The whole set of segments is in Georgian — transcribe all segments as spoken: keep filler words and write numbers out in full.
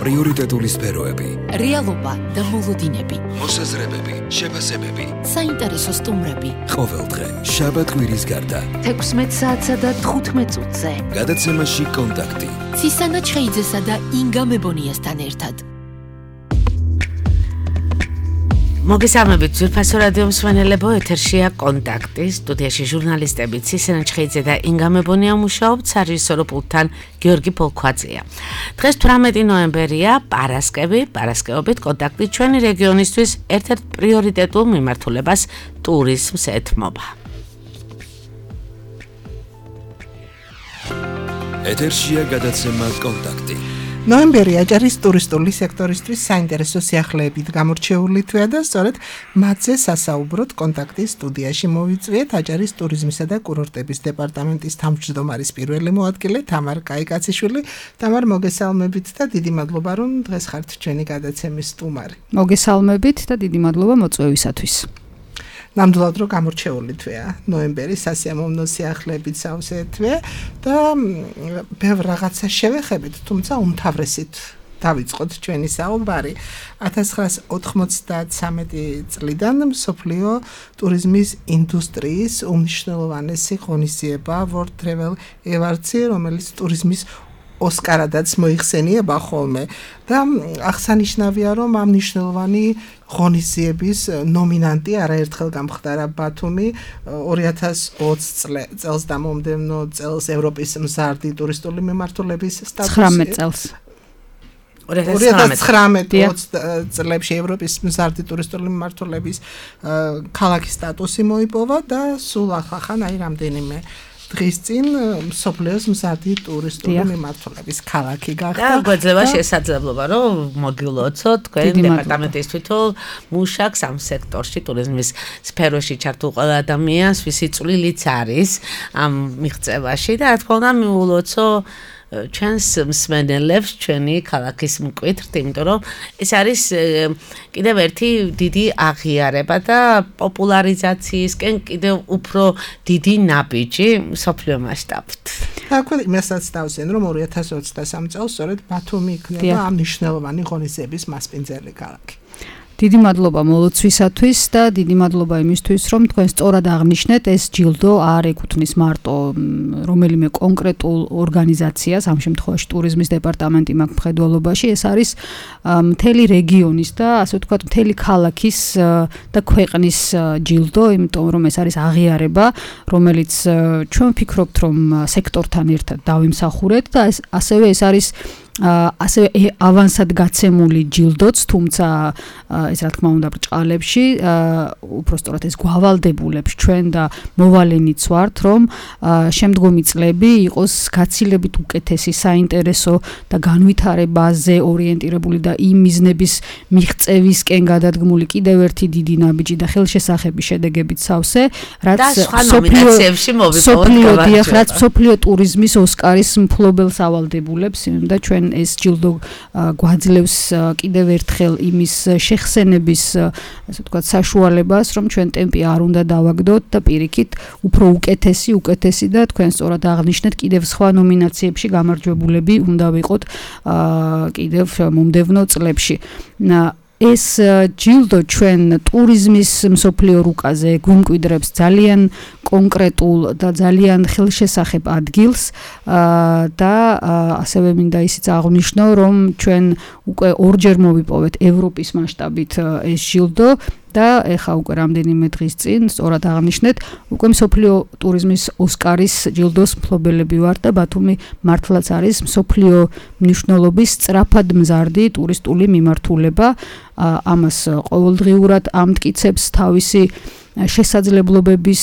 პრიორიტეტული სფეროები, რეალობა და მოლოდინები, მოსაზრებები, შეფასებები, საინტერესო სტუმრები. ყოველდღე შაბათ-კვირის გარდა თექვსმეტ საათსა და თხუთმეტ წუთზე. გადაცემაში კონტაქტი. ცისანა ჩხეიძესა და ინგა მებონიასთან ერთად. მოგესალმებით, ძვირფასო რადიო მსმენელებო, ეთერშია კონტაქტი, სტუდიაში ჟურნალისტები ცისანა ჩხეიძე და ინგა მებონია მუშაობთ, სარეჟისორო პულტთან გიორგი პოლქვაძეა. დღეს თვრამეტი ნოემბერია, პარასკევი, პარასკევობით კონტაქტი ჩვენი რეგიონისთვის ერთ-ერთ პრიორიტეტულ მიმართულებას ტურიზმს ეთმობა. ეთერშია გადაცემა კონტაქტი. ნოემბერი აჭარის ტურისტული სექტორისთვის საინტერესო სიახლეებით გამორჩეული თვეა და სწორედ მათზე სასაუბროდ კონტაქტის სტუდიაში მოვიწვიეთ აჭარის ტურიზმისა და კურორტების დეპარტამენტის თავმჯდომარის პირველი მოადგილე თამარ კაიკაციშვილი. თამარ, მოგესალმებით და დიდი მადლობა, რომ დღეს ხართ ჩვენი გადაცემის სტუმარი. მოგესალმებით და დიდი მადლობა მოწვევისათვის. ნამდვილად რომ გამორჩეული თვეა ნოემბერი, სასიამოვნო სიახლეებით სავსე თვე და ბევრ რაღაცა შევეხებით, თუმცა უმთავრესით დავიწყოთ ჩვენი საუბარი. ათას ცხრაას ოთხმოცდათსამეტი წლიდან მსოფლიო ტურიზმის ინდუსტრიის უმნიშვნელოვანესი ღონისძიება World Travel Awards-ი, რომელიც ტურიზმის ოსკარადაც მოიხსენიება ხოლმე და აღსანიშნავია, რომ ამ მნიშვნელოვანი ღონისძიების ნომინანტი არაერთხელ გამხდარა ბათუმი ორი ათას ოცი წელს და მომდევნო წელს ევროპის მზარდი ტურისტული მიმართულების სტატუსი ცხრამეტ წელს ორი ათას ცხრამეტ წლებში ევროპის მზარდი ტურისტული მიმართულების ქალაქის სტატუსი მოიპოვა და სულ ახლა აი რამდენიმე დღის წინ მსოფლიოს მზარდი ტურისტული მიმართულების ქალაქი გახდა. და გვეძლება შესაძლებლობა, რომ მოგილოცოთ თქვენ დეპარტამენტის თვითონ მუშაკს ამ სექტორში, ტურიზმის სფეროში ჩართულ ყველა ადამიანს, ვისი წვლილიც არის ამ მიღწევაში და რა თქმა უნდა მიულოცო ჩვენს მსმენელებს ჩვენი ქალაქის მკვეთრთ, იმიტომ რომ ეს არის კიდევ ერთი დიდი აღიარება და პოპულარიზაციისკენ კიდევ უფრო დიდი ნაბიჯი მსოფლიო მასშტაბით. აქვე იმასაც დავზენ, რომ ორი ათას ოცდასამი წელს სწორედ ბათუმი იქნება ამ მნიშვნელოვანი ღონისძიების მასპინძელი ქალაქი. დიდი მადლობა მოლოცვისათვის და დიდი მადლობა იმისთვის, რომ თქვენ სწორად აღნიშნეთ, ეს ჯილდო არ ეკუთვნის მარტო რომელიმე კონკრეტულ ორგანიზაციას, ამ შემთხვევაში ტურიზმის დეპარტამენტი მაქვს მხედველობაში, ეს არის მთელი რეგიონის და ასე ვთქვათ, მთელი ქალაქის და ქვეყნის ჯილდო, იმიტომ რომ ეს არის აღიარება, რომელიც ჩვენ ვფიქრობთ, რომ სექტორთან ერთად დავიმსახურეთ და ეს ასევე ეს არის ასევე ავანსად გაცემული ჯილდოც, თუმცა ეს რა თქმა უნდა ბრჭყალებში, უпростоრად ეს გვალდებულებს ჩვენ და მოვალენიც ვართ, რომ შემდგომი წლები იყოს გაცილებით უკეთესი, საინტერესო და განვითარებაზე ორიენტირებული და იმ მიზნების მიღწევისკენ გადადგმული კიდევ ერთი დიდი ნაბიჯი და ხელშესახების შედეგებით სავსე, რაც ნომინაციებში მოვიპოვოთ, რაც მსოფლიო ტურიზმის ოსკარის მფლობელს ავალდებულებს და ჩვენ ეს ჯილდო გვაძლევს კიდევ ერთხელ იმის შეხსენების, ასე ვთქვათ, საშუალებას, რომ ჩვენ ტემპი არ უნდა დავაგდოთ და პირიქით უფრო უკეთესი, უკეთესი და თქვენ სწორად აღნიშნეთ, კიდევ სხვა ნომინაციებში გამარჯვებულები უნდა ვიყოთ კიდევ მომდევნო წლებში. ეს ჯილდო ჩვენ ტურიზმის მსოფლიო რუკაზე გვიმკვიდრებს ძალიან კონკრეტულ და ძალიან ხელშესახებ ადგილს და ასევე მინდა ისიც აღვნიშნო, რომ ჩვენ უკვე ორჯერ მოვიპოვეთ ევროპის მასშტაბით ეს ჯილდო და ეხა უკვე რამდენიმე დღის წინ სწორად აღნიშნეთ, უკვე მსოფლიო ტურიზმის ოსკარის ჯილდოს მფლობელები ვართ და ბათუმი მართლაც არის მსოფლიო მნიშვნელობის სწრაფად მზარდი ტურისტული მიმართულება. ამას ყოველდღიურად ამტკიცებს თავისი შესაძლებლობების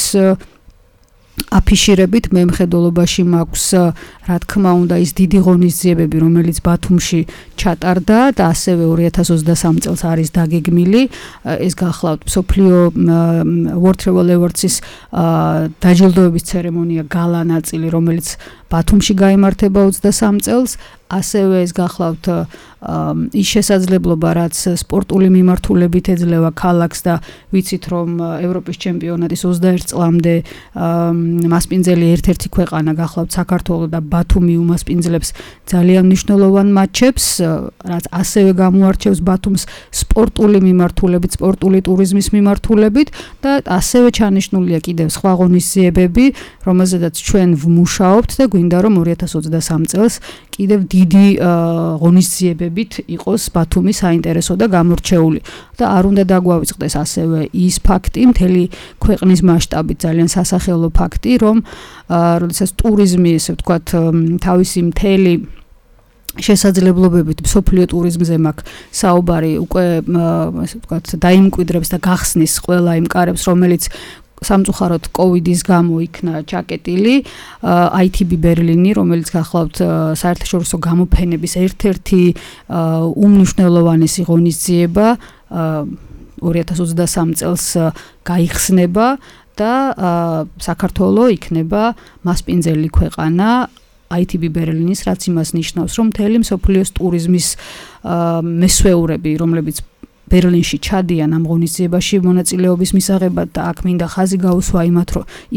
აფიშირებით მე მხედველობაში მაქვს რა თქმა უნდა ის დიდი ღონისძიებები, რომელიც ბათუმში ჩატარდა და ასევე ორი ათას ოცდასამი წელს არის დაგეგმილი. ეს გახლავთ მსოფლიო World Travel Awards-ის დაჯილდოების ცერემონია, გალა ნაწილი, რომელიც ბათუმში გაიმართება ოცდასამი წელს. ასევე ეს გახლავთ ის შესაძლებლობა, რაც სპორტული მიმართულებით ეძლევა ქალაქს და ვიცით, რომ ევროპის ჩემპიონატის ოცდაერთ წლამდე მასპინძელი ერთ-ერთი ქვეყანა გახლავთ საქართველო და ბათუმი უმასპინძლებს ძალიან მნიშვნელოვან მატჩებს, რაც ასევე გამოარჩევს ბათუმს სპორტული მიმართულებით, სპორტული ტურიზმის მიმართულებით და ასევე ჩანიშნულია კიდევ სხვა ღონისძიებები, რომელზედაც ჩვენ ვმუშაობთ და გვინდა რომ ორი ათას ოცდასამი წელს კიდევ დიდი ღონისძიებებით იყოს ბათუმი საინტერესო და გამორჩეული. და არ უნდა დაგვავიწყდეს ასევე ის ფაქტი, მთელი ქვეყნის მასშტაბით ძალიან სასახელო ფაქტი, რომ როდესაც ტურიზმი, ესე ვთქვათ, თავისი მთელი შესაძლებლობებით მსოფლიო ტურიზმზე მაქვს საუბარი, უკვე ესე ვთქვათ, დაიმკვიდრებს და გახსნის ყველა იმ კარებს, რომელიც სამწუხაროდ კოვიდის გამო იქნა ჩაკეტილი, აი თი ბი ბერლინი, რომელიც გახლავთ საერთაშორისო გამოფენების ერთ-ერთი უმნიშვნელოვანესი ღონისძიება ორი ათას ოცდასამი წელს გაიხსნება და საქართველო იქნება მასპინძელი ქვეყანა აი თი ბი ბერლინის, რაც იმას ნიშნავს, რომ მთელი მსოფლიოს ტურიზმის მესვეურები, რომლებიც ბერლინში ჩადიან ამ ღონისძიებაში მონაწილეობის მისაღებად და აქ მინდა ხაზი გაუსვა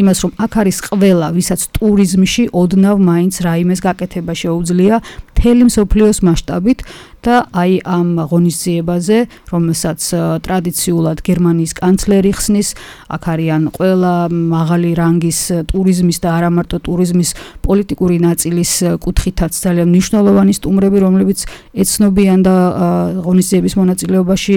იმას, რომ აქ არის ყველა, ვისაც ტურიზმში ოდნავ მაინც რაიმეს გაკეთება შეუძლია მთელი მსოფლიოს მასშტაბით და აი ამ ღონისძიებაზე, რომელსაც ტრადიციულად გერმანიის კანცლერი ხსნის, აქ არიან ყველა მაღალი რანგის ტურიზმის და არა მარტო ტურიზმის პოლიტიკური ნაწილის კუთხითაც ძალიან მნიშვნელოვანი სტუმრები, რომლებიც ეცნობიან და ღონისძიების მონაწილეობაში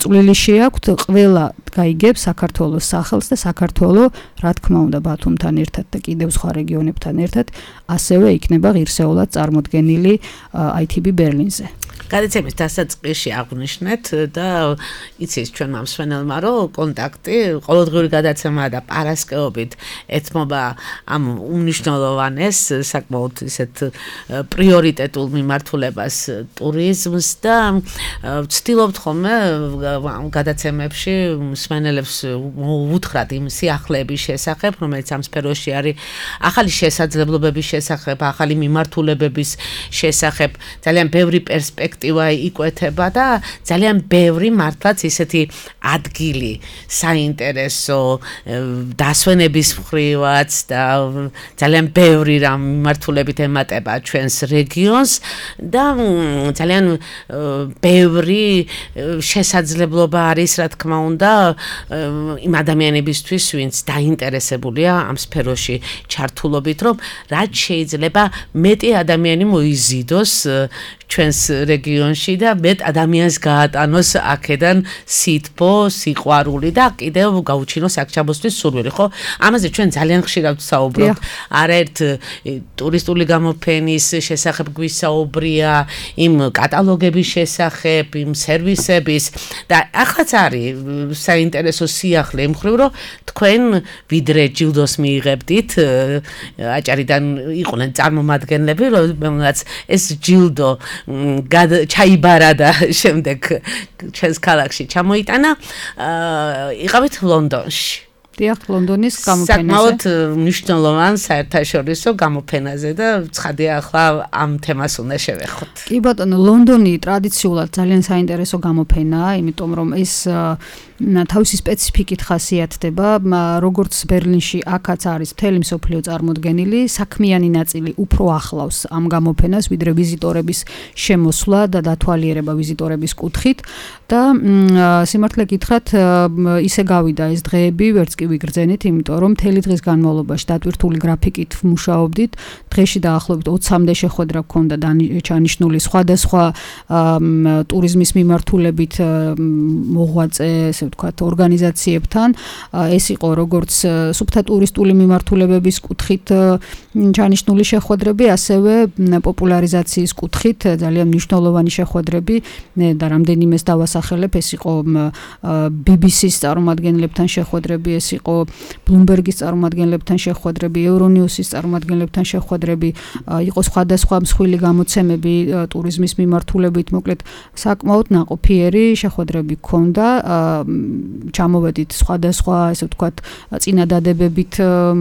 წვლილი შეაქვთ, ყველა გაიგებს საქართველოს სახელს და საქართველო, რა თქმა უნდა, ბათუმთან ერთად და კიდევ სხვა რეგიონებთან ერთად ასევე იქნება ღირსეულად წარმოდგენილი აი თი ბი ბერლინზე. გადაცემის დასაწყისში აღვნიშნეთ და იცის ჩვენ მომსვენელმა, რომ კონტაქტი ყოველდღიური გადაცემა და პარასკევობით ეთმობა ამ უმნიშვნელოვანეს საკმაოდ ისეთ პრიორიტეტულ მიმართულებას ტურიზმს და ვცდილობთ ხოლმე ამ გადაცემებში მსმენელებს უთხრათ იმ სიახლეების შესახებ, რომელიც ამ სფეროში არის, ახალი შესაძლებლობების შესახებ, ახალი მიმართულებების შესახებ, ძალიან ბევრი პერსპექტივა იკვეთება და ძალიან ბევრი მართლაც ისეთი ადგილი საინტერესო დასვენების მხრივაც და ძალიან ბევრი რამ მიმართულებით ემატება ჩვენს რეგიონს და ძალიან ბევრი შესაძლებლობა არის, რა თქმა უნდა, იმ ადამიანებისთვის, ვინც დაინტერესებულია ამ სფეროში ჩართულობით, რომ რაც შეიძლება მეტი ადამიანი მოიზიდოს ჩვენს რეგიონში და მეტ ადამიანს გაატანოს აქედან სითბო, სიყვარული და კიდევ გაუჩინოს აქ ჩამოსვლის სურვილი, ხო? ამაზე ჩვენ ძალიან ხშირად ვსაუბრობთ. არაერთ ტურისტული გამოფენის შესახებ გვისაუბრია, იმ კატალოგების შესახებ, იმ სერვისების და ახაც არის საინტერესო სიახლე იმ მხრივ, რომ თქვენ ვიდრე ჯილდოს მიიღებდით, აჭარიდან იყვნენ წარმომადგენლები, რომელსაც ეს ჯილდო ჩაიბარა და შემდეგ ჩვენს ქალაქში ჩამოიტანა, იყავით ლონდონში. დიახ, ლონდონის გამოფენაზე. საკმაოდ მნიშვნელოვან საერთაშორისო გამოფენაზე და ცხადია ახლა ამ თემას უნდა შევეხოთ. კი ბატონო, ლონდონი ტრადიციულად ძალიან საინტერესო გამოფენაა, იმიტომ რომ ეს თავისი სპეციფიკით ხასიათდება, როგორც ბერლინში აქაც არის მთელი მსოფლიო წარმოდგენილი, საქმიანი ნაწილი უფრო ახლავს ამ გამოფენას, ვიდრე ვიზიტორების შემოსვლა და დათვალიერება ვიზიტორების კუთხით და სიმართლე გითხრათ, ისე გავიდა ეს დღეები, ვერც კი ვიგრძენით, იმიტომ რომ მთელი დღის განმავლობაში დატვირთული გრაფიკით ვმუშაობდით, დღეში დაახლოებით ოცამდე შეხვედრა გქონდა ჩანიშნული სხვადასხვა ტურიზმის მიმართულებით მოღვაწე, ესე ვთქვათ, ორგანიზაციებთან. ეს იყო როგორც სუფთა ტურისტული მიმართულებების კუთხით ჩანიშნული შეხვედრები, ასევე პოპულარიზაციის კუთხით ძალიან მნიშვნელოვანი შეხვედრები და რამდენიმეს დავასახელებ, ეს იყო ბი ბი სის წარმომადგენლებთან შეხვედრები, ეს იყო ბლუმბერგის წარმომადგენლებთან შეხვედრები, ევრონიუსის წარმომადგენლებთან შეხვედრები, იყო სხვადასხვა მსხვილი გამოცემები ტურიზმის მიმართულებით, მოკლედ საკმაოდ ნაყოფიერი შეხვედრები გქონდა ჩამოვედით სხვადასხვა, ესე ვთქვათ, წინადადებებით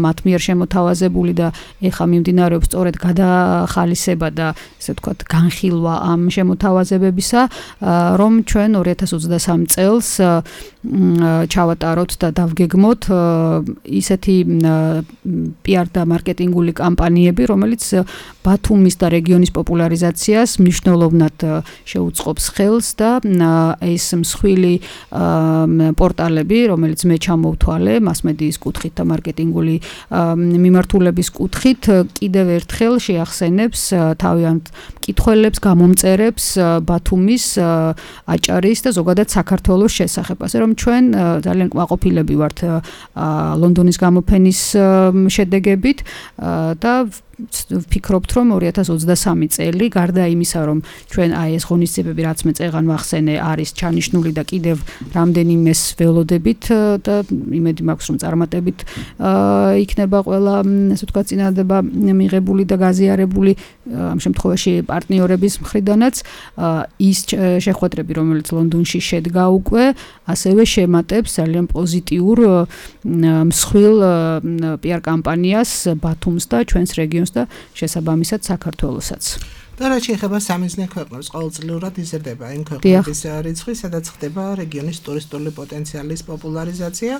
მათ მიერ შემოთავაზებული და ეხა მიმდინარეობს სწორედ გადახალისება და ესე ვთქვათ, განხილვა ამ შემოთავაზებებისა, რომ ჩვენ ორი ათას ოცდასამ წელს ჩავატაროთ და დავგეგმოთ ისეთი პი არ და მარკეტინგული კამპანიები, რომელიც ბათუმის და რეგიონის პოპულარიზაციას მნიშვნელოვნად შეუწყობს ხელს და ეს მსხვილი პორტალები, რომელიც მე ჩამოვთვალე მასმედიის კუთხით და მარკეტინგული მიმართულების კუთხით, კიდევ ერთხელ შეახსენებს თავიანთ მკითხველებს, გამომწერებს ბათუმის, აჭარის და ზოგადად საქართველოს შესახებ. ასე რომ ჩვენ ძალიან კმაყოფილები ვართ ლონდონის გამოფენის შედეგებით და ვფიქრობთ, რომ ორი ათას ოცდასამი წელი, გარდა იმისა, რომ ჩვენ აი ეს ღონისძიებები, რაც მე წეღან ვახსენე, არის ჩანიშნული და კიდევ რამდენიმეს ველოდებით და იმედი მაქვს, რომ წარმატებით იქნება ყველა, ასე ვთქვათ, წინადადება მიღებული და გაზიარებული ამ შემთხვევაში პარტნიორების მხრიდანაც ის შეხვედრები, რომელიც ლონდონში შედგა უკვე, ასევე შემატებს ძალიან პოზიტიურ მსხვილ პი არ კამპანიას ბათუმს და ჩვენს რეგიონს და შესაბამისად საქართველოსაც. და რაც შეეხება სამიზნე ქვეყნებს, ყოველწლიურად იზრდება იმ ქვეყნების რიცხვი, სადაც ხდება რეგიონის ტურისტული პოტენციალის პოპულარიზაცია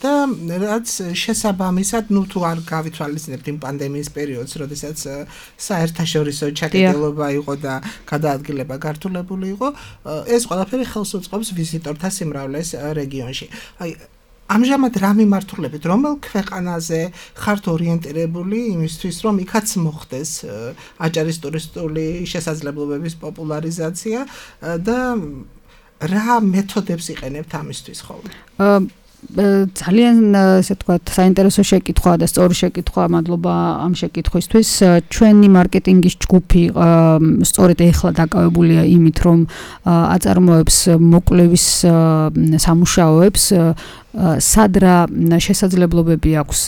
და რაც შესაბამისად, ну თუ არ გავითვალისწინებთ იმ პანდემიის პერიოდს, როდესაც საერთაშორისო ჩაკეტილობა იყო და გადაადგილება გართულებული იყო, ეს ყველაფერი ხელს უწყობს ვიზიტორთა სიმრავლეს რეგიონში. აი ამჟამად რა მიმართულებით, რომელ ქვეყანაზე ხართ ორიენტირებული იმისთვის, რომ იქაც მოხდეს აჭარის ტურისტული შესაძლებლობების პოპულარიზაცია და რა მეთოდებს იყენებთ ამისთვის ხოლმე? ძალიან ესე ვთქვათ, საინტერესო შეკითხვაა და სწორი შეკითხვაა, მადლობა ამ შეკითხვისთვის. ჩვენი მარკეტინგის ჯგუფი სწორედ ეხლა დაკავებულია იმით, რომ აწარმოებს მოკვლევის სამუშაოებს სად რა შესაძლებლობები აქვს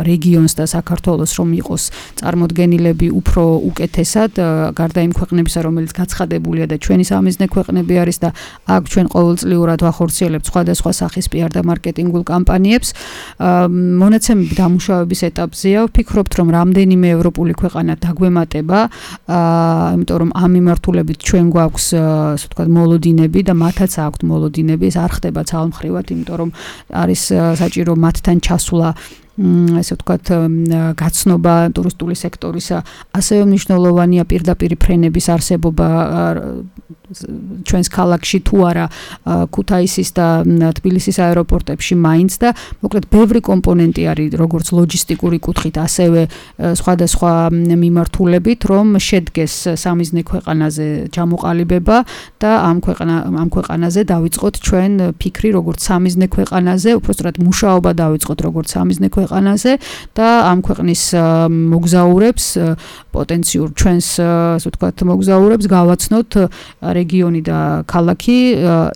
რეგიონს და საქართველოს, რომ იყოს წარმოდგენილები უფრო უკეთესად, გარდა იმ ქვეყნებისა, რომელიც გაცხადებულია და ჩვენი სამიზნე ქვეყნები არის და აქ ჩვენ ყოველწლიურად ვახორციელებთ სხვადასხვა სახის პი არ და მარკეტინგულ კამპანიებს. მონაცემები დამუშავების ეტაპზეა, ვფიქრობთ, რომ რამდენიმე ევროპული ქვეყანა დაგვემატება, იმიტომ რომ ამ მიმართულებით ჩვენ გვაქვს, ასე ვთქვათ, მოლოდინები და მათაც აქვთ მოლოდინები, ეს არ ხდება ძალმხრივად, იმიტომ რომ არის საჭირო მათთან ჩასვლა, ესე ვთქვათ, გაცნობა ტურისტული სექტორისა, ასევე მნიშვნელოვანია პირდაპირ ფრენების არსებობა ჩვენს ქალაქში თუ არა ქუთაისის და თბილისის აეროპორტებში მაინც და მოკლედ ბევრი კომპონენტი არის როგორც ლოჯისტიკური კუთხით, ასევე სხვადასხვა მიმართულებით, რომ შედგეს სამიზნე ქვეყანაზე ჩამოყალიბება და ამ ქვეყანა ამ ქვეყანაზე დავიწყოთ ჩვენ ფიქრი როგორც სამიზნე ქვეყანაზე, უпростоრად მუშაობა დავიწყოთ როგორც სამიზნე ქვეყანაზე და ამ ქვეყნის მოგზაურებს, პოტენციურ ჩვენს, ასე ვთქვათ, მოგზაურებს გავაცნოთ რეგიონი და ქალაქი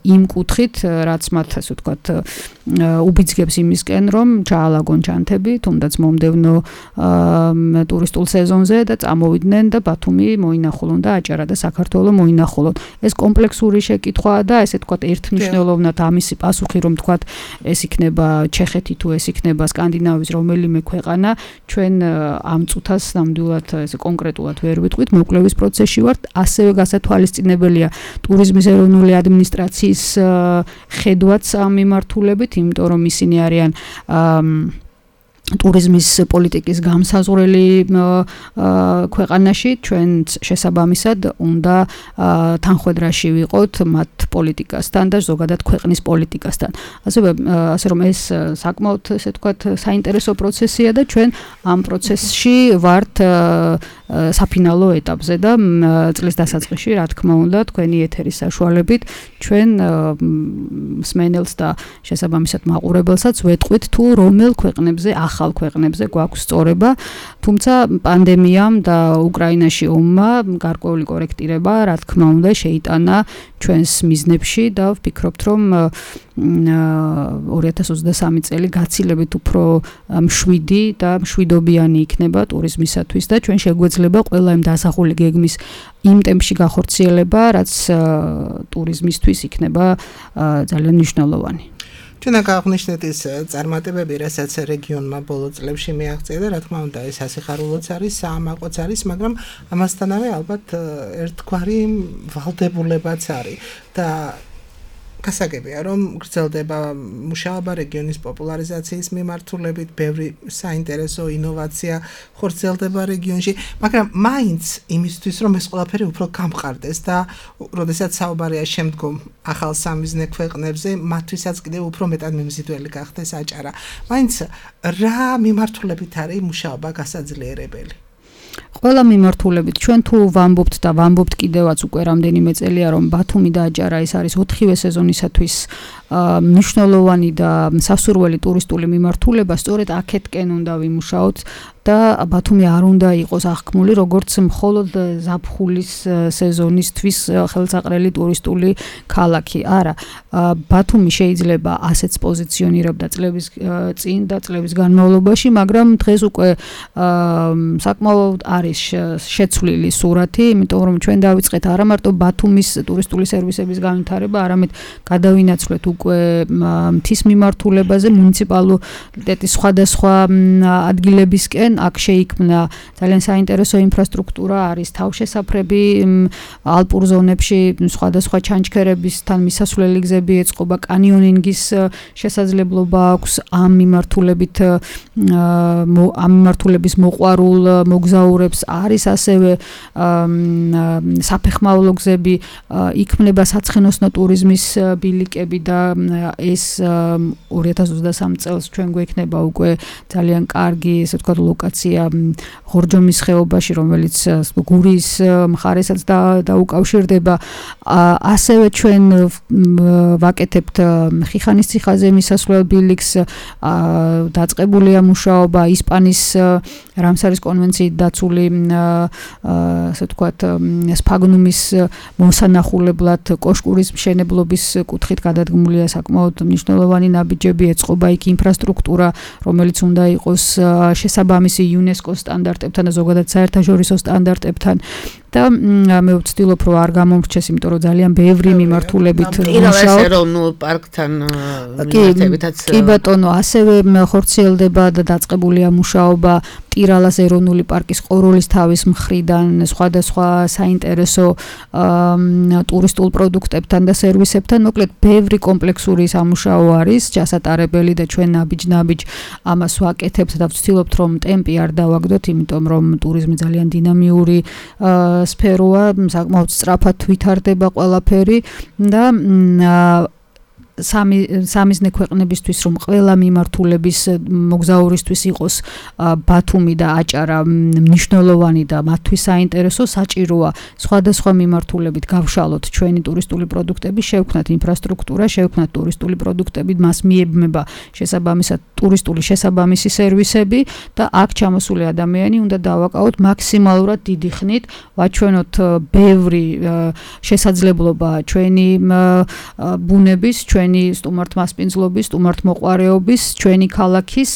იმ კუთხით, რაც მათ, ასე ვთქვათ, უბიძგებს იმისკენ, რომ ჩაალაგონ ჩანთები, თუნდაც მომდევნო ტურისტულ სეზონზე და წამოვიდნენ და ბათუმი მოინახულონ და აჭარა და საქართველო მოინახულონ. ეს კომპლექსური შეკითხვაა და ესე ვთქვათ, ერთმნიშვნელოვნად ამისი პასუხი, რომ ვთქვათ, ეს იქნება ჩეხეთი თუ ეს იქნება სკანდინავიის რომელიმე ქვეყანა, ჩვენ ამ წუთას ნამდვილად ესე კონკრეტულად ვერ ვიტყვით, მოკვლევის პროცესში ვართ, ასევე გასათვალისწინებელია ტურიზმის ეროვნული ადმინისტრაციის ხედვაც ამ მიმართულებით, იმიტომ რომ ისინი არიან ტურიზმის პოლიტიკის გამსაზღვრელი ქვეყანაში, ჩვენ შესაბამისად უნდა თანხვედრაში ვიყოთ მათ პოლიტიკასთან და ზოგადად ქვეყნის პოლიტიკასთან. ასევე ასე რომ ეს საკმაოდ, ესე ვთქვათ, საინტერესო პროცესია და ჩვენ ამ პროცესში ვართ საფინალო ეტაპზე და წლის დასაწყისში, რა თქმა უნდა, თქვენი ეთერის საშუალებით ჩვენ მსმენელს და შესაბამისად მაყურებელსაც ვეტყვით თუ რომელ ქვეყნებზე ახალ ქვეყნებზე გვაქვს სწორება, თუმცა პანდემიამ და უკრაინაში ომმა გარკვეული კორექტირება, რა თქმა უნდა, შეიტანა ჩვენს მიზნებში და ვფიქრობთ, რომ ორი ათას ოცდასამი წელი გაცილებით უფრო მშვიდი და მშვიდობიანი იქნება ტურიზმისათვის და ჩვენ შეგვეძლება ყველა იმ დასახული გეგმის იმ ტემპში გახორციელება, რაც ტურიზმისთვის იქნება ძალიან მნიშვნელოვანი. ჩვენ აღნიშნეთ ის წარმატებები, რასაც რეგიონმა ბოლო წლებში მიაღწია და რა თქმა უნდა ეს ასიხარულოც არის, საამაყოც არის, მაგრამ ამასთანავე ალბათ ერთგვარი ვალდებულებაც არის და გასაგებია, რომ გრძელდება მუშაობა რეგიონის პოპულარიზაციის მიმართულებით, ბევრი საინტერესო ინოვაცია ხორციელდება რეგიონში, მაგრამ მაინც იმისთვის, რომ ეს ყველაფერი უფრო გამყარდეს და როდესაც საუბარია შემდგომ ახალ სამიზნე ქვეყნებზე, მათთვისაც კიდევ უფრო მეტად მიმზიდველი გახდეს აჭარა. მაინც რა მიმართულებით არის მუშაობა გასაძლიერებელი? ყველა მიმართულებით ჩვენ თუ ვამბობთ და ვამბობთ კიდევაც უკვე რამდენიმე წელია რომ ბათუმი და აჭარა ეს არის ოთხივე სეზონისათვის მნიშვნელოვანი და სასურველი ტურისტული მიმართულება, სწორედ აქეთკენ უნდა ვიმუშაოთ და ბათუმი არ უნდა იყოს აღქმული როგორც მხოლოდ ზაფხულის სეზონისთვის ხელსაყრელი ტურისტული ქალაქი. არა, ბათუმი შეიძლება ასეც პოზიციონირებდა წლების წინ და წლების განმავლობაში, მაგრამ დღეს უკვე საკმაოდ არის შეცვლილი სურათი, იმიტომ რომ ჩვენ დავიწყეთ არა მარტო ბათუმის ტურისტული სერვისების განვითარება, არამედ გადავინაცვლეთ უკვე მთის მიმართულებაზე მუნიციპალიტეტის სხვადასხვა ადგილებისკენ აქ შეიქმნა ძალიან საინტერესო ინფრასტრუქტურა, არის თავშესაფრები ალპურ ზონებში, სხვადასხვა ჩანჩქერებისთან მისასვლელი გზები ეწყობა, კანიონინგის შესაძლებლობა აქვს ამ მიმართულებით ამ მიმართულების მოყვარულ მოგზაურებს, არის ასევე საფეხმავლო გზები, იქმნება საცხენოსნო ტურიზმის ბილიკები და ეს ორი ათას ოცდასამი წელს ჩვენ გვექნება უკვე ძალიან კარგი, ესე ვთქვათ, ლოკაცია ღორჯომის ხეობაში, რომელიც გურიის მხარესაც დაუკავშირდება. ასევე ჩვენ ვაკეთებთ ხიხანის ციხაზე მისასვლელ ბილიკს, დაწყებულია მუშაობა ისპანის რამსარის კონვენციით დაცული, ასე ვთქვათ, სფაგნუმის მოსანახულებლად კოშკურის მშენებლობის კუთხით გადადგმულია საკმაოდ მნიშვნელოვანი ნაბიჯები, ეწყობა იქ ინფრასტრუქტურა, რომელიც უნდა იყოს შესაბამისი იუნესკოს სტანდარტებთან და ზოგადად საერთაშორისო სტანდარტებთან და მე ვცდილობ რომ არ გამომრჩეს, იმიტომ რომ ძალიან ბევრი მიმართულებით მუშაობ. ეროვნულ პარკთან მიმართებითაც კი ბატონო, ასევე ხორციელდება და დაწყებულია მუშაობა ტირალას ეროვნული პარკის ყოროლის თავის მხრიდან სხვადასხვა საინტერესო ტურისტულ პროდუქტებთან და სერვისებთან. მოკლედ, ბევრი კომპლექსური სამუშაო არის ჩასატარებელი და ჩვენ ნაბიჯ-ნაბიჯ ამას ვაკეთებთ და ვცდილობთ რომ ტემპი არ დავაგდოთ, იმიტომ რომ ტურიზმი ძალიან დინამიური სფეროა, საკმაოდ სწრაფად ვითარდება ყველაფერი და სამი სამიზნე ქვეყნებისთვის რომ ყველა მიმართულების მოგზაურისთვის იყოს ბათუმი და აჭარა მნიშვნელოვანი და მათთვის საინტერესო, საჭიროა სხვადასხვა მიმართულებით გავშალოთ ჩვენი ტურისტული პროდუქტები, შევქმნათ ინფრასტრუქტურა, შევქმნათ ტურისტული პროდუქტები, მას მიებმება შესაბამისად ტურისტული შესაბამისი სერვისები და აქ ჩამოსული ადამიანი უნდა დავაკავოთ მაქსიმალურად დიდი ხნით, ვაჩვენოთ ბევრი შესაძლებლობა ჩვენი ბუნების, ჩვენი სტუმართმასპინძლობის, სტუმართმოყვარეობის, ჩვენი ქალაქის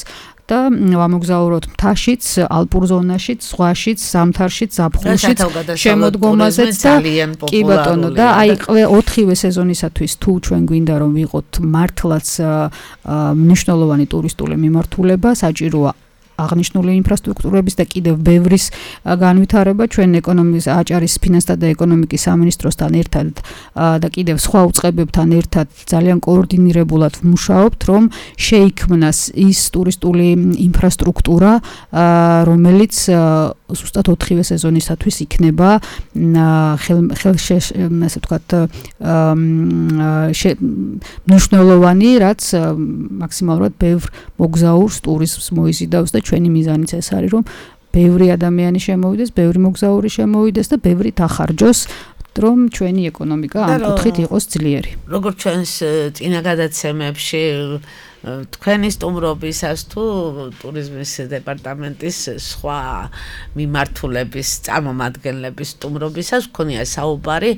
და ვამოგზაუროთ მთაშიც, ალპურ ზონაშიც, ზღვაშიც, ზამთარშიც, ზაფხულშიც, შემოდგომაზეც და კი ბატონო და აი ოთხივე სეზონისათვის თუ ჩვენ გვინდა რომ ვიყოთ მართლაც მნიშვნელოვანი ტურისტული მიმართულება, საჭიროა აღნიშნული ინფრასტრუქტურების და კიდევ ბევრის განვითარება. ჩვენ ეკონომიკის აჭარის ფინანსთა და ეკონომიკის სამინისტროსთან ერთად და კიდევ სხვა უწყებებთან ერთად ძალიან კოორდინირებულად ვმუშაობთ, რომ შეიქმნას ის ტურისტული ინფრასტრუქტურა, რომელიც ზუსტად ოთხივე სეზონისათვის იქნება ხელშე ასე ვთქვათ მნიშვნელოვანი, რაც მაქსიმალურად ბევრ მოგზაურს ტურიზმს მოიზიდავს და ჩვენი მიზანიც ეს არის, რომ ბევრი ადამიანი შემოვიდეს, ბევრი მოგზაური შემოვიდეს და ბევრი დახარჯოს, რომ ჩვენი ეკონომიკა ამ კუთხით იყოს ძლიერი. როგორც ჩვენს წინა გადაცემებში თქვენი სტუმრობისას თუ ტურიზმის დეპარტამენტის სხვა მიმართულების წარმომადგენლების სტუმრობისას გქონია საუბარი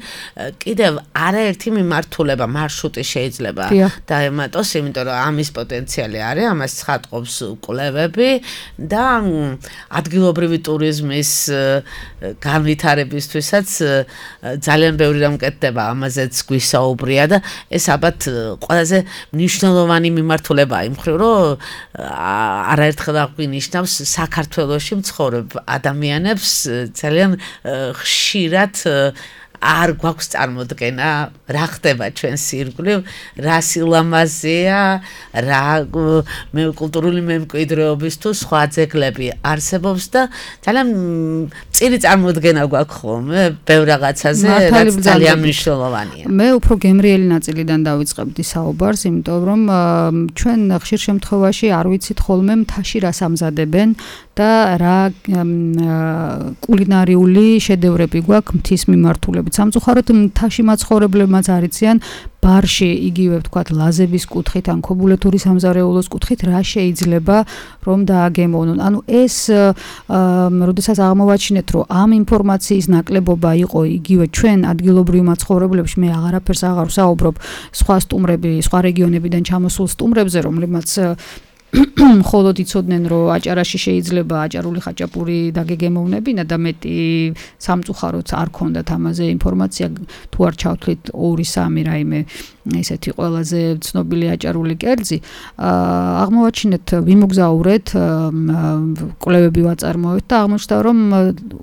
კიდევ არაერთი მიმართულება მარშრუტი შეიძლება დაემატოს, იმიტომ რომ ამის პოტენციალი არის, ამას ცხადყოფს კვლევები და ადგილობრივი ტურიზმის განვითარებისთვისაც ძალიან ბევრი რამ კეთდება, ამაზეც გვისაუბრია და ეს ალბათ ყველაზე მნიშვნელოვანი მიმართულებაა იმ მხრივ, რომ არაერთხელ აღვინიშნავს საქართველოში მცხოვრებ ადამიანებს ძალიან ხშირად არ გვაქვს წარმოდგენა რა ხდება ჩვენს ირგვლივ, რა სილამაზეა, რა კულტურული მემკვიდრეობის თუ სხვა ძეგლები არსებობს და ძალიან წირი წარმოდგენა გვაქვს ხოლმე ბევრ რაღაცაზე, რაც ძალიან მნიშვნელოვანია. მე უფრო გემრიელი ნაწილიდან დავიწყებდი საუბარს, იმიტომ რომ ჩვენ ხშირ შემთხვევაში არ ვიცით ხოლმე მთაში რას ამზადებენ და რა კულინარიული შედევრები გვაქვს მთის მიმართულებით. სამწუხაროდ მთაში მაცხოვრებლებმაც არიციან ბარში იგივე ვთქვათ ლაზების კუთხით ან ქობულეთური სამზარეულოს კუთხით რა შეიძლება რომ დააგემოვნონ. ანუ ეს როდესაც აღმოვაჩინეთ რომ ამ ინფორმაციის ნაკლებობა იყო იგივე ჩვენ ადგილობრივ მაცხოვრებლებში, მე აღარაფერს აღარ ვსაუბრობ სხვა სტუმრები, სხვა რეგიონებიდან ჩამოსულ სტუმრებზე, რომლებმაც მხოლოდ იცოდნენ რომ აჭარაში შეიძლება აჭარული ხაჭაპური დაგეგემოვნებინა და მეტი სამწუხაროდ არ ქონდათ ამაზე ინფორმაცია, თუ არ ჩავთვლით ორი სამი რაიმე ესეთი ყველაზე ცნობილი აჭარული კერძი. აღმოვაჩინეთ, ვიმოგზაურეთ, კვლევები ვაწარმოეთ და აღმოჩნდა რომ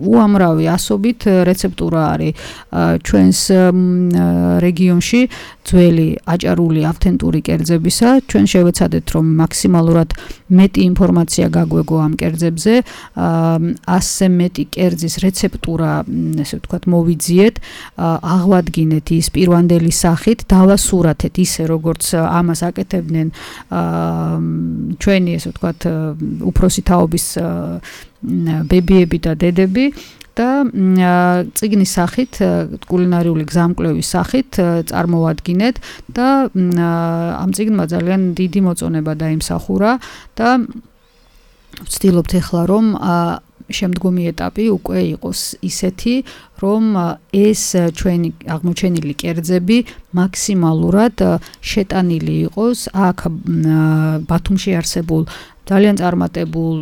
უამრავი ასობით რეცეპტურა არის ჩვენს რეგიონში ძველი აჭარული ავთენტური კერძებისა. ჩვენ შევეცადეთ რომ მაქსიმალურად მეტი ინფორმაცია გაგვეგო ამ კერძებზე, ასზე მეტი კერძის რეცეპტურა, ესე ვთქვათ, მოვიძიეთ, აღვადგინეთ ის პირვანდელი სახით, დავასურათეთ ისე როგორც ამას აკეთებდნენ ჩვენი, ესე ვთქვათ, უფროსი თაობის ბებიები და დედები. და წიგნის სახით, კულინარიული გზამკვლევის სახით წარმოვადგინეთ და ამ წიგნმა ძალიან დიდი მოწონება დაიმსახურა და ვცდილობთ ახლა რომ შემდგომი ეტაპი უკვე იყოს ისეთი, რომ ეს ჩვენი აღმოჩენილი კერძები მაქსიმალურად შეტანილი იყოს აქ ბათუმში არსებულ ძალიან წარმატებულ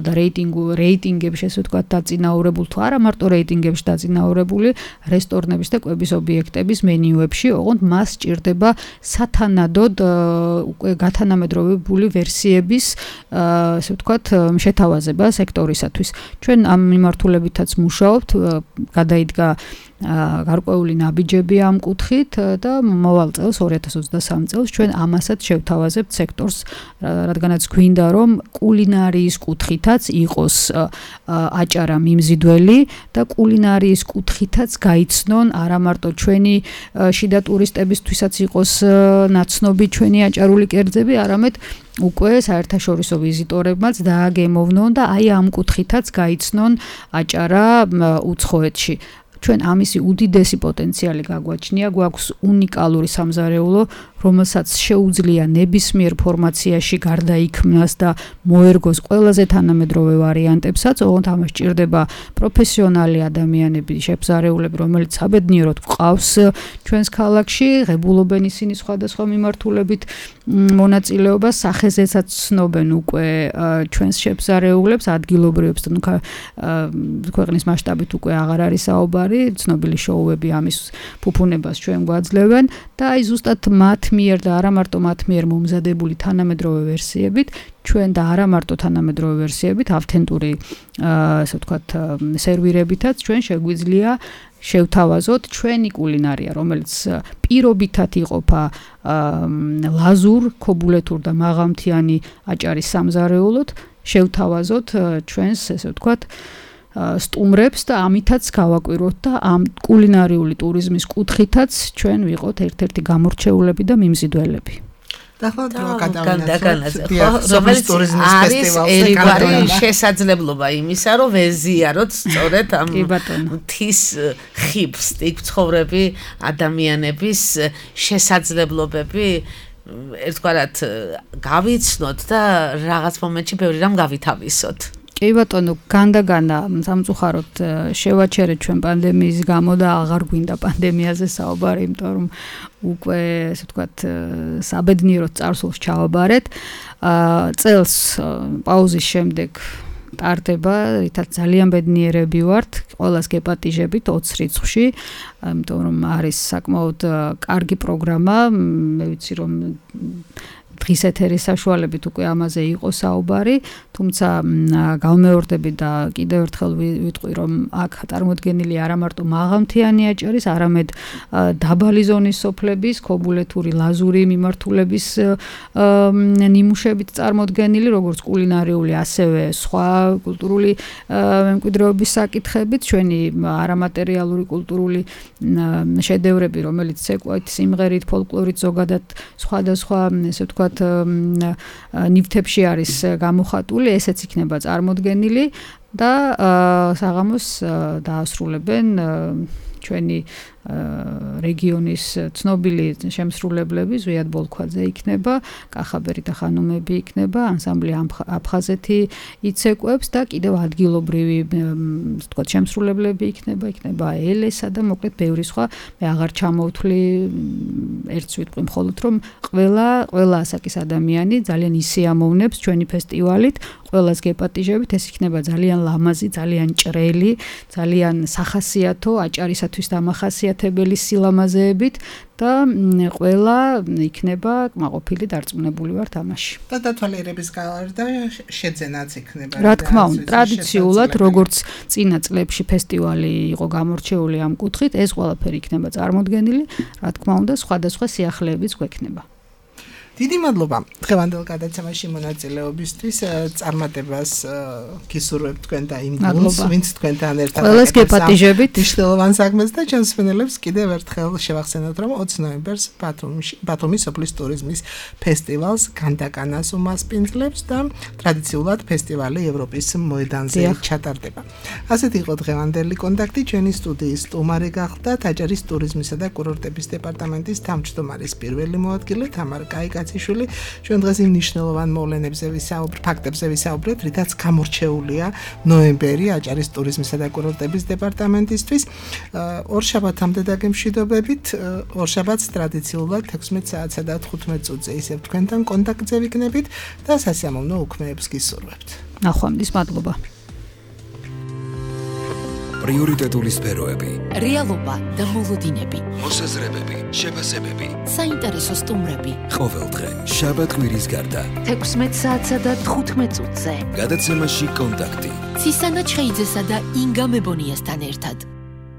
და რეიტინგ რეიტინგებში, ესე ვთქვათ, დაწინაურებულ თუ არა მარტო რეიტინგებში დაწინაურებული რესტორნების და კვების ობიექტების მენიუებში, ოღონდ მას სჭირდება სათანადოდ უკვე გათანამედროვებული ვერსიების, ესე ვთქვათ, შეთავაზება სექტორისათვის. ჩვენ ამ მიმართულებითაც მუშაობთ, გადაიდგა გარკვეული ნაბიჯები ამ კუთხით და მოვალ წელს ორი ათას ოცდასამი წელს ჩვენ ამასაც შევთავაზებთ სექტორს, რადგანაც გვინდა რომ კულინარიის კუთხითაც იყოს აჭარა მიმზიდველი და კულინარიის კუთხითაც გაიცნონ არა მარტო ჩვენი შიდა ტურისტებისთვისაც იყოს ნაცნობი ჩვენი აჭარული კერძები, არამედ უკვე საერთაშორისო ვიზიტორებმაც დააგემოვნონ და აი ამ კუთხითაც გაიცნონ აჭარა უცხოეთში. ჩვენ ამისი უდიდესი პოტენციალი გაგვაჩნია, გვაქვს უნიკალური სამზარეულო, რომელსაც შეუძლია ნებისმიერ ფორმაციაში გარდაიქმნას და მოერგოს ყველაზე თანამედროვე ვარიანტებსაც, ოღონდ ამას სჭირდება პროფესიონალი ადამიანები, შეფზარეულები, რომელიც საბედნიეროდ გვყავს ჩვენს ქალაქში, ღებულობენ ისინი სხვადასხვა მიმართულებით მონაწილეობას, სახეზესაც ცნობენ უკვე ჩვენს შეფზარეულებს, ადგილობრივებს, ნუ ქვეყნის მასშტაბით უკვე აღარ არის საუბარი, ცნობილი შოუები ამის ფუფუნებას ჩვენ გვაძლევენ და აი ზუსტად მათ მიერ და არა მარტო მათ მიერ მომზადებული თანამედროვე ვერსიებით, ჩვენ და არა მარტო თანამედროვე ვერსიებით, ავთენტური, ასე ვთქვათ, სერვირებითაც ჩვენ შეგვიძლია შევთავაზოთ ჩვენი კულინარია, რომელიც პირობითად იყოფა ლაზურ, ქობულეთურ და მაღალმთიანი აჭარის სამზარეულოდ, შევთავაზოთ ჩვენს, ესე ვთქვათ, სტუმრებს და ამითაც გავაკვირვოთ და ამ კულინარიული ტურიზმის კუთხითაც ჩვენ ვიყოთ ერთ-ერთი გამორჩეულები და მიმზიდველები. და ხო დრო გადავინაცვლოთ რომელიც ტურიზმის ფესტივალზე კარგი შესაძლებლობა იმისა, რომ ვეზიაროთ სწორედ ამ მთის ხიბს, იქ ცხოვრები ადამიანების შესაძლებლობები ერთგვარად გავიცნოთ და რაღაც მომენტში ბევრი რამ გავითავისოთ. კი ბატონო, განდაგანა სამწუხაროდ შევაჩერეთ ჩვენ პანდემიის გამო და აღარ გვინდა პანდემიაზე საუბარი, იმიტომ რომ უკვე ესე ვთქვათ საბედნიეროდ წარსულს ჩავაბარეთ. წელს პაუზის შემდეგ ტარდება, რითაც ძალიან ბედნიერები ვართ, ყველას გეპატიჟებით ოცი რიცხვში, იმიტომ რომ არის საკმაოდ კარგი პროგრამა, მე ვიცი რომ დღის ეთერის საშუალებით უკვე ამაზე იყო საუბარი, თუმცა გავმეორდები და კიდევ ერთხელ ვიტყვი, რომ აქ წარმოდგენილი არა მარტო მაღალმთიანი აჭარის, არამედ დაბალი ზონის სოფლების, ქობულეთური, ლაზური მიმართულების ნიმუშებით წარმოდგენილი, როგორც კულინარიული, ასევე სხვა კულტურული მემკვიდრეობის საკითხებით, ჩვენი არამატერიალური კულტურული შედევრები, რომელიც ეკვით სიმღერით, ფოლკლორით, ზოგადად სხვადასხვა, ესე ვთქვათ, ნივთებში არის გამოხატული, ესეც იქნება წარმოდგენილი და საღამოს დაასრულებენ ჩვენი რეგიონის ცნობილი შემსრულებლები, ზვიად ბოლქვაძე იქნება, კახაბერი და ხანუმები იქნება, ანსამბლი აფხაზეთი იცეკვებს და კიდევ ადგილობრივი ვთქვათ შემსრულებლები იქნება, იქნება ელესა და მოკლედ ბევრი სხვა. მე აღარ ჩამოვთვლი, ერთს ვიტყვი მხოლოდ რომ ყველა ყველა ასაკის ადამიანი ძალიან ისიამოვნებს ჩვენი ფესტივალით, ყველას გეპატიჟებით, ეს იქნება ძალიან ლამაზი, ძალიან ჭრელი, ძალიან სახასიათო, აჭარისათვის დამახასიათებელი სილამაზეებით და ყველა იქნება კმაყოფილი დარწმუნებული ვარ თამაში. და დათვალიერების გარდა შეძენაც იქნება. რა თქმა უნდა, ტრადიციულად, როგორც წინა წლებში ფესტივალი იყო გამორჩეული ამ კუთხით, ეს ყველაფერი იქნება წარმოდგენილი, რა თქმა უნდა, სხვადასხვა სიახლეებიც გვექნება. დიდი მადლობა დღევანდელ გადაცემაში მონაწილეობისთვის, წარმატებას გისურვებთ თქვენ და იმ გუნდს, ვინც თქვენთან ერთად ყველას გეპატიჟებით მნიშვნელოვან საქმეს და ჩემს მსმენელებს კიდევ ერთხელ შევახსენოთ, რომ ოცი ნოემბერს ბათუმში ბათუმის სოფლის ტურიზმის ფესტივალს განდაკანას უმასპინძლებს და ტრადიციულად ფესტივალი ევროპის მოედანზე ჩატარდება. ასეთი იყო დღევანდელი კონტაქტი, ჩვენი სტუდიის სტუმარი გახდათ აჭარის ტურიზმისა და კურორტების დეპარტამენტის თავმჯდომარის პირველი მოადგილე თამარ კაიკაძე. ჩვენ დღეს იმ მნიშვნელოვან მოვლენებზე ვისაუბრეთ, ფაქტებზე ვისაუბრეთ, რითაც გამორჩეულია ნოემბერი აჭარის ტურიზმისა და კურორტების დეპარტამენტისთვის. ორშაბათამდე დაგემშვიდობებით, ორშაბათს ტრადიციულად ექვსმეტ საათსა და თხუთმეტ წუთზე ისევ თქვენთან კონტაქტზე ვიქნებით და სასიამოვნო უქმეებს გისურვებთ. ნახვამდის მადლობა. პრიორიტეტული სფეროები, რეალობა და მოლოდინები, მოსაზრებები, შეფასებები, საინტერესო სტუმრები. ყოველდღე შაბათ-კვირის გარდა ექვსმეტ საათსა და თხუთმეტ წუთზე. გადაცემაში კონტაქტი. ცისანა ჩხეიძესა და ინგა მებონიასთან ერთად.